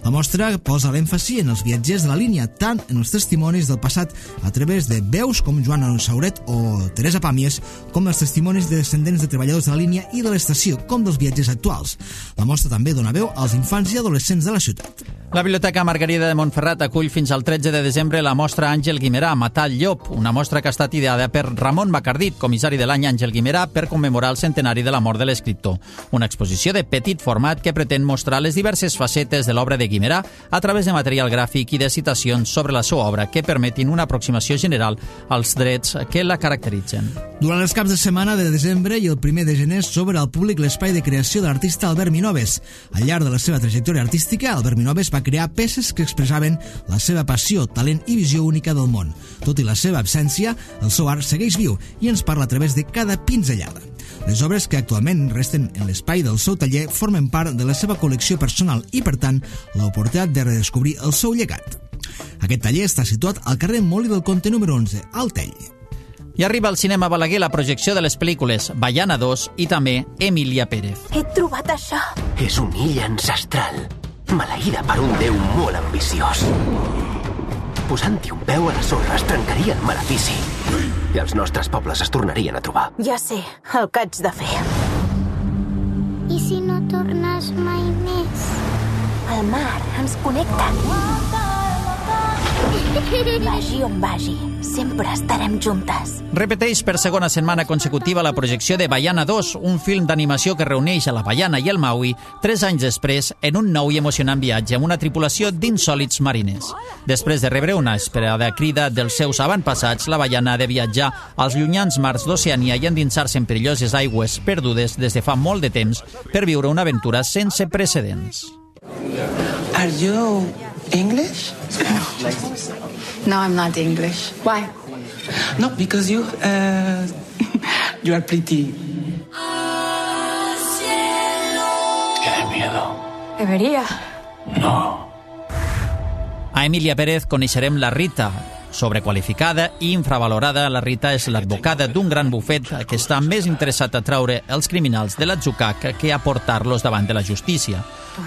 La mostra posa l'èmfasi en els viatgers de la línia, tant en els testimonis del passat a través de veus com Joan Sauret o Teresa Pàmies, com els testimonis de descendents de treballadors de la línia i de l'estació, com dels viatgers actuals. La mostra també dona veu als infants i adolescents de la ciutat. La Biblioteca Margarida de Montferrat acull fins al tretze de desembre la mostra Àngel Guimerà, Matar el llop, una mostra que ha estat ideada per Ramon Macardit, comissari de l'any Àngel Guimerà, per commemorar el centenari de la mort de l'escriptor. Una exposició de petit format que pretén mostrar les diverses facetes de l'obra de Guimerà a través de material gràfic i de citacions sobre la seva obra que permetin una aproximació general als drets que la caracteritzen. Durant els caps de setmana de desembre i el primer de gener s'obre al públic l'espai de creació de l'artista Albert Minoves. Al llarg de la seva trajectòria artística, Albert Minoves va crear peces que expressaven la seva passió, talent i visió única del món. Tot i la seva absència, el seu art segueix viu i ens parla a través de cada pinzellada. Les obres que actualment resten en l'espai del seu taller formen part de la seva col·lecció personal i, per tant, l'oportunitat de redescobrir el seu llegat. Aquest taller està situat al carrer Molí del Comte número onze, al Tell. I arriba al cinema Balaguer la projecció de les pel·lícules Baiana dos i també Emília Pérez. He trobat això. És una illa ancestral, maleïda per un déu molt ambiciós. Posant-hi un peu a la sorra es trencaria el malefici i els nostres pobles es tornarien a trobar. Ja sé, el que haig de fer. I si no tornes mai més? El mar ens connecta. Vagi on vagi, sempre estarem juntes. Repeteix per segona setmana consecutiva la projecció de Baiana dos, un film d'animació que reuneix a la Baiana i el Maui tres anys després en un nou i emocionant viatge amb una tripulació d'insòlits mariners. Després de rebre una esperada crida dels seus avantpassats, la Baiana ha de viatjar als llunyans mars d'Oceania i endinsar-se en perilloses aigües perdudes des de fa molt de temps per viure una aventura sense precedents. Are you English? No, I'm not English. Why? No, because you, uh, you are pretty. Tiene miedo. Debería. No. A Emília Pérez coneixerem la Rita. Sobrequalificada i infravalorada, la Rita és l'advocada d'un gran bufet que està més interessat a traure els criminals de l'atzucac que a portar-los davant de la justícia.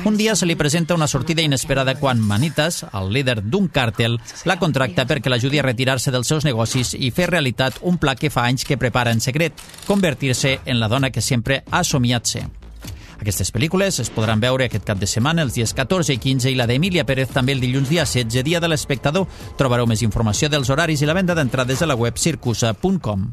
Un dia se li presenta una sortida inesperada quan Manitas, el líder d'un càrtel, la contracta perquè l'ajudi a retirar-se dels seus negocis i fer realitat un pla que fa anys que prepara en secret, convertir-se en la dona que sempre ha somiat ser. Aquestes pel·lícules es podran veure aquest cap de setmana els dies catorze i quinze i la d'Emília Pérez també el dilluns dia setze, dia de l'espectador. Trobareu més informació dels horaris i la venda d'entrades a la web circusa punt com.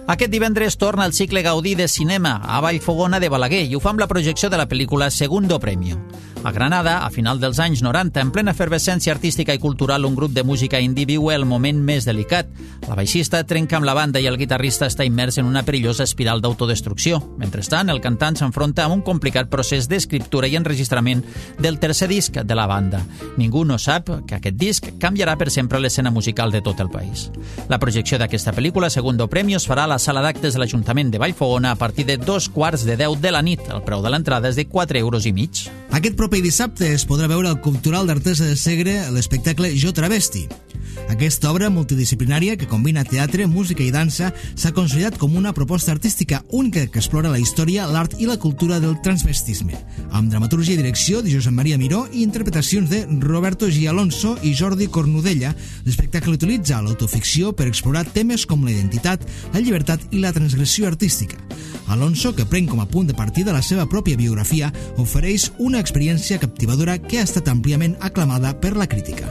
Aquest divendres torna el cicle Gaudí de cinema a Vallfogona de Balaguer i ho fa amb la projecció de la pel·lícula Segundo Premio. A Granada, a final dels anys noranta, en plena efervescència artística i cultural, un grup de música indie viu el moment més delicat. La baixista trenca amb la banda i el guitarrista està immers en una perillosa espiral d'autodestrucció. Mentrestant, el cantant s'enfronta amb un complicat procés d'escriptura i enregistrament del tercer disc de la banda. Ningú no sap que aquest disc canviarà per sempre l'escena musical de tot el país. La projecció d'aquesta pel·lícula, Segundo Premio, es farà a la sala d'actes de l'Ajuntament de Vallfogona a partir de dos quarts de deu de la nit. El preu de l'entrada és de quatre euros i mig. Aquest proper dissabte es podrà veure al Cultural d'Artesa de Segre l'espectacle Jo Travesti. Aquesta obra multidisciplinària que combina teatre, música i dansa s'ha consolidat com una proposta artística única que explora la història, l'art i la cultura del transvestisme, amb dramaturgia i direcció de Josep Maria Miró i interpretacions de Roberto G. Alonso i Jordi Cornudella. L'espectacle utilitza l'autoficció per explorar temes com la identitat, la llibertat i la transgressió artística. Alonso, que pren com a punt de partida la seva pròpia biografia, ofereix una experiència captivadora que ha estat àmpliament aclamada per la crítica.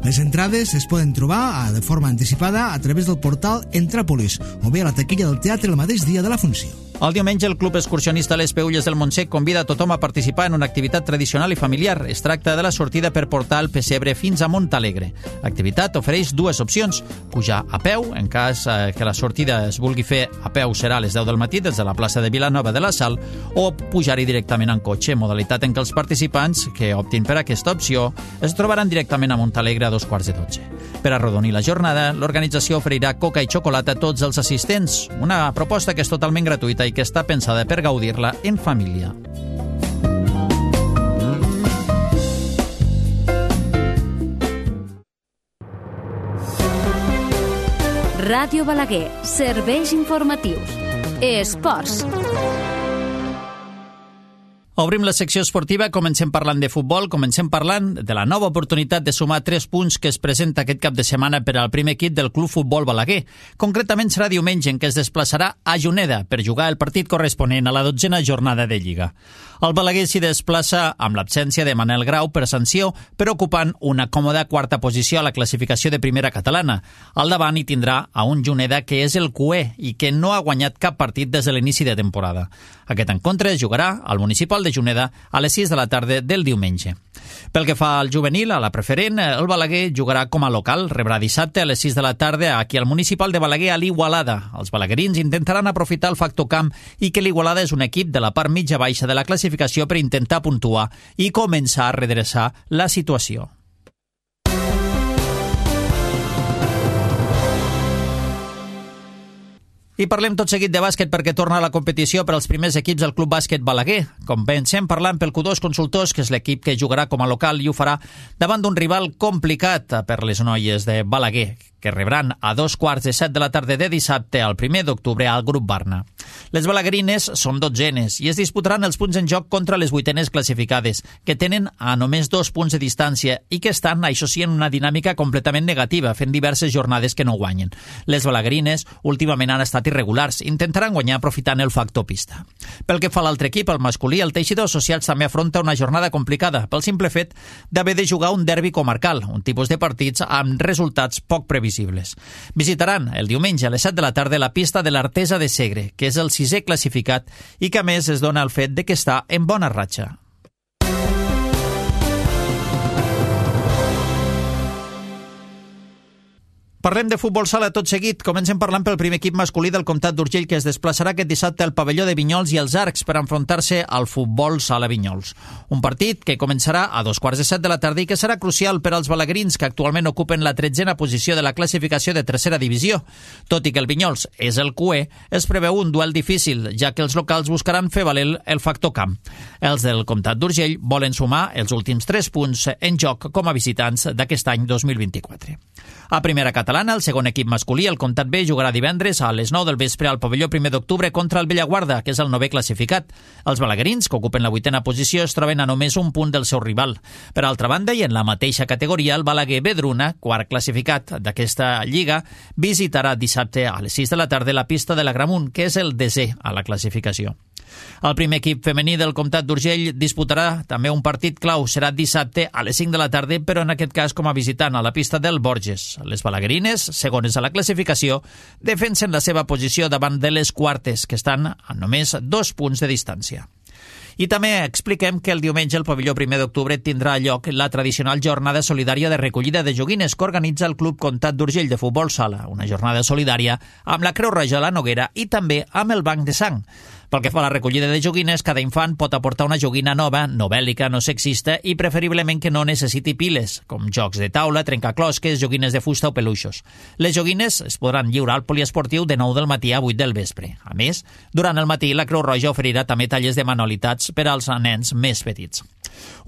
Les entrades es poden trobar de forma anticipada a través del portal Entràpolis o bé a la taquilla del teatre el mateix dia de la funció. El diumenge, el Club Excursionista Les Peülles del Montsec convida a tothom a participar en una activitat tradicional i familiar. Es tracta de la sortida per portar el pessebre fins a Montalegre. L'activitat ofereix dues opcions: pujar a peu, en cas que la sortida es vulgui fer a peu serà a les deu del matí des de la plaça de Vilanova de la Sal, o pujar-hi directament en cotxe, modalitat en què els participants que optin per aquesta opció es trobaran directament a Montalegre a dos quarts de dotze. Per arrodonir la jornada, l'organització oferirà coca i xocolata a tots els assistents, una proposta que és totalment gratuïta i que està pensada per gaudir-la en família. Ràdio Balaguer, serveis informatius. Esports. Obrim la secció esportiva, comencem parlant de futbol, comencem parlant de la nova oportunitat de sumar tres punts que es presenta aquest cap de setmana per al primer equip del Club Futbol Balaguer. Concretament serà diumenge en què es desplaçarà a Juneda per jugar el partit corresponent a la dotzena jornada de Lliga. El Balaguer s'hi desplaça amb l'absència de Manel Grau per sanció, però ocupant una còmoda quarta posició a la classificació de primera catalana. Al davant hi tindrà a un Juneda que és el cuer i que no ha guanyat cap partit des de l'inici de temporada. Aquest encontre es jugarà al municipal de Juneda a les sis de la tarda del diumenge. Pel que fa al juvenil, a la preferent, el Balaguer jugarà com a local, rebrà dissabte a les sis de la tarda aquí al municipal de Balaguer a l'Igualada. Els balaguerins intentaran aprofitar el factor camp i que l'Igualada és un equip de la part mitja-baixa de la classificació per intentar puntuar i començar a redreçar la situació. I parlem tot seguit de bàsquet perquè torna a la competició per als primers equips del Club Bàsquet Balaguer. Comencem parlant pel Q dos Consultors, que és l'equip que jugarà com a local i ho farà davant d'un rival complicat per les noies de Balaguer, que rebran a dos quarts de set de la tarda de dissabte al primer d'octubre al Grup Barna. Les balaguerines són dotzenes i es disputaran els punts en joc contra les vuitenes classificades, que tenen a només dos punts de distància i que estan, això sí, en una dinàmica completament negativa, fent diverses jornades que no guanyen. Les balaguerines últimament han estat irregulars, intentaran guanyar aprofitant el factor pista. Pel que fa a l'altre equip, el masculí, el Teixidor Associats també afronta una jornada complicada pel simple fet d'haver de jugar un derbi comarcal, un tipus de partits amb resultats poc previsibles. Visitaran el diumenge a les set de la tarda la pista de l'Artesa de Segre, que és el sisè classificat i que a més es dona el fet de que està en bona ratxa. Parlem de futbol sala tot seguit. Comencem parlant pel primer equip masculí del Comtat d'Urgell, que es desplaçarà aquest dissabte al pavelló de Vinyols i els Arcs per enfrontar-se al futbol sala Vinyols. Un partit que començarà a dos quarts de set de la tarda i que serà crucial per als balaguerins, que actualment ocupen la tretzena posició de la classificació de tercera divisió. Tot i que el Vinyols és el cuer, es preveu un duel difícil, ja que els locals buscaran fer valer el factor camp. Els del Comtat d'Urgell volen sumar els últims tres punts en joc com a visitants d'aquest any dos mil vint-i-quatre. A primera catalana, el segon equip masculí, el Comtat B, jugarà divendres a les nou del vespre al pavelló primer d'octubre contra el Bellaguarda, que és el novè classificat. Els balaguerins, que ocupen la vuitena posició, es troben a només un punt del seu rival. Per altra banda, i en la mateixa categoria, el Balaguer Vedruna, quart classificat d'aquesta lliga, visitarà dissabte a les sis de la tarda la pista de la Gramunt, que és el desè a la classificació. El primer equip femení del Comtat d'Urgell disputarà també un partit clau. Serà dissabte a les cinc de la tarda, però en aquest cas com a visitant a la pista del Borges. Les balaguerines, segones a la classificació, defensen la seva posició davant de les quartes, que estan a només dos punts de distància. I també expliquem que el diumenge al pavelló primer d'octubre tindrà lloc la tradicional jornada solidària de recollida de joguines que organitza el Club Comtat d'Urgell de Futbol Sala, una jornada solidària amb la Creu Roja a la Noguera i també amb el Banc de Sang. Pel que fa a la recollida de joguines, cada infant pot aportar una joguina nova, no bèl·lica, no sexista i preferiblement que no necessiti piles, com jocs de taula, trencaclosques, joguines de fusta o peluixos. Les joguines es podran lliurar al poliesportiu de nou del matí a vuit del vespre. A més, durant el matí la Creu Roja oferirà també tallers de manualitats per als nens més petits.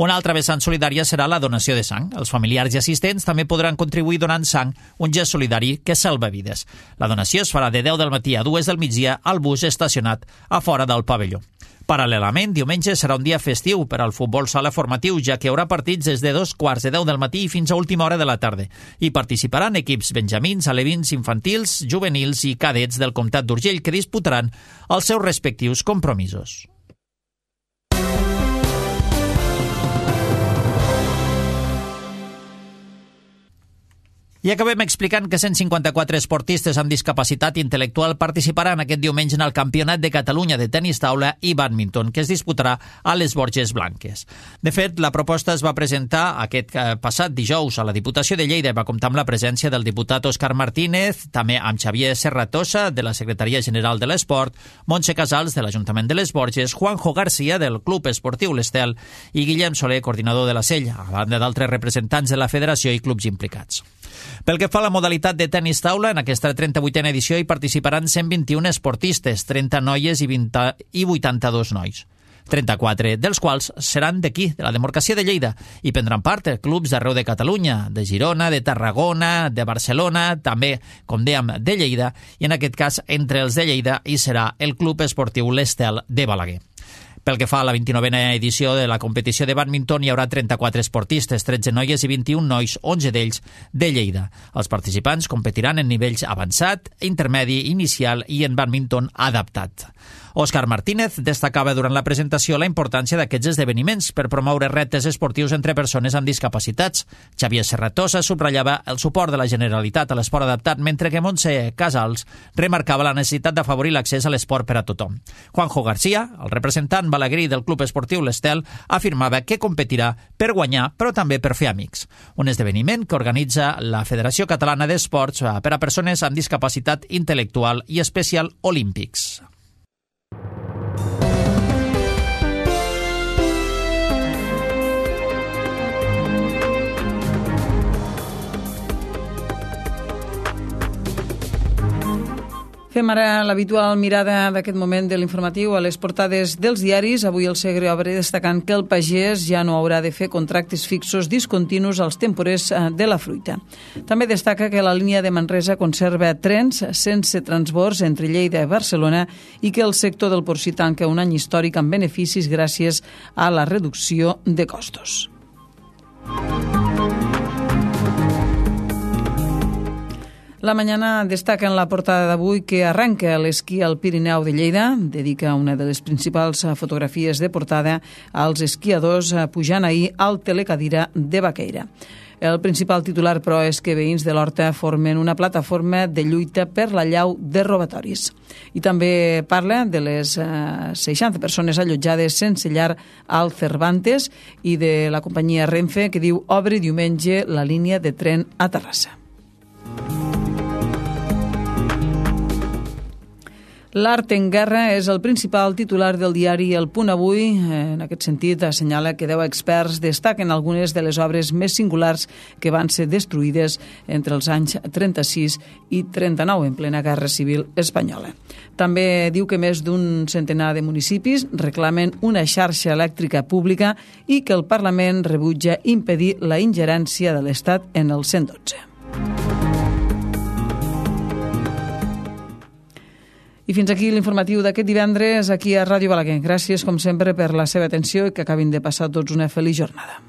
Una altra vessant solidària serà la donació de sang. Els familiars i assistents també podran contribuir donant sang, un gest solidari que salva vides. La donació es farà de deu del matí a dues del migdia al bus estacionat a fora del pavelló. Paral·lelament, diumenge serà un dia festiu per al futbol sala formatiu, ja que hi haurà partits des de dos quarts de deu del matí fins a última hora de la tarda. Hi participaran equips benjamins, alevins, infantils, juvenils i cadets del Comtat d'Urgell que disputaran els seus respectius compromisos. I acabem explicant que cent cinquanta-quatre esportistes amb discapacitat intel·lectual participaran aquest diumenge en el Campionat de Catalunya de tenis taula i bàdminton, que es disputarà a les Borges Blanques. De fet, la proposta es va presentar aquest passat dijous a la Diputació de Lleida i va comptar amb la presència del diputat Òscar Martínez, també amb Xavier Serratosa, de la Secretaria General de l'Esport, Montse Casals, de l'Ajuntament de les Borges, Juanjo García, del Club Esportiu l'Estel, i Guillem Soler, coordinador de la Sella, a banda d'altres representants de la Federació i clubs implicats. Pel que fa a la modalitat de tenis taula, en aquesta trenta-vuitena edició hi participaran cent vint-i-un esportistes, trenta noies i, vint i vuitanta-dos nois. trenta-quatre dels quals seran d'aquí, de la demarcació de Lleida, i prendran part clubs d'arreu de Catalunya, de Girona, de Tarragona, de Barcelona, també, com dèiem, de Lleida, i en aquest cas, entre els de Lleida hi serà el Club Esportiu l'Estel de Balaguer. Pel que fa a la vint-i-novena edició de la competició de bàdminton, hi haurà trenta-quatre esportistes, tretze noies i vint-i-un nois, onze d'ells de Lleida. Els participants competiran en nivells avançat, intermedi, inicial i en bàdminton adaptat. Òscar Martínez destacava durant la presentació la importància d'aquests esdeveniments per promoure reptes esportius entre persones amb discapacitats. Xavier Serratosa subratllava el suport de la Generalitat a l'esport adaptat, mentre que Montse Casals remarcava la necessitat d'afavorir l'accés a l'esport per a tothom. Juanjo García, el representant balaguerí del Club Esportiu l'Estel, afirmava que competirà per guanyar, però també per fer amics. Un esdeveniment que organitza la Federació Catalana d'Esports per a persones amb discapacitat intel·lectual i Special Olympics. Fem ara l'habitual mirada d'aquest moment de l'informatiu a les portades dels diaris. Avui el Segre obre destacant que el pagès ja no haurà de fer contractes fixos discontinus als temporers de la fruita. També destaca que la línia de Manresa conserva trens sense transbords entre Lleida i Barcelona i que el sector del porcí tanca un any històric amb beneficis gràcies a la reducció de costos. La Mañana destaca en la portada d'avui que arranca l'esquí al Pirineu de Lleida, dedica una de les principals fotografies de portada als esquiadors pujant ahir al telecadira de Baqueira. El principal titular, però, és que veïns de l'Horta formen una plataforma de lluita per la llau de robatoris. I també parla de les seixanta persones allotjades sense llar al Cervantes i de la companyia Renfe, que diu obre diumenge la línia de tren a Terrassa. L'art en guerra és el principal titular del diari El Punt Avui. En aquest sentit, assenyala que deu experts destaquen algunes de les obres més singulars que van ser destruïdes entre els anys trenta-sis i trenta-nou, en plena Guerra Civil Espanyola. També diu que més d'un centenar de municipis reclamen una xarxa elèctrica pública i que el Parlament rebutja impedir la ingerència de l'Estat en el cent dotze. I fins aquí l'informatiu d'aquest divendres aquí a Ràdio Balaguer. Gràcies, com sempre, per la seva atenció i que acabin de passar tots una feliç jornada.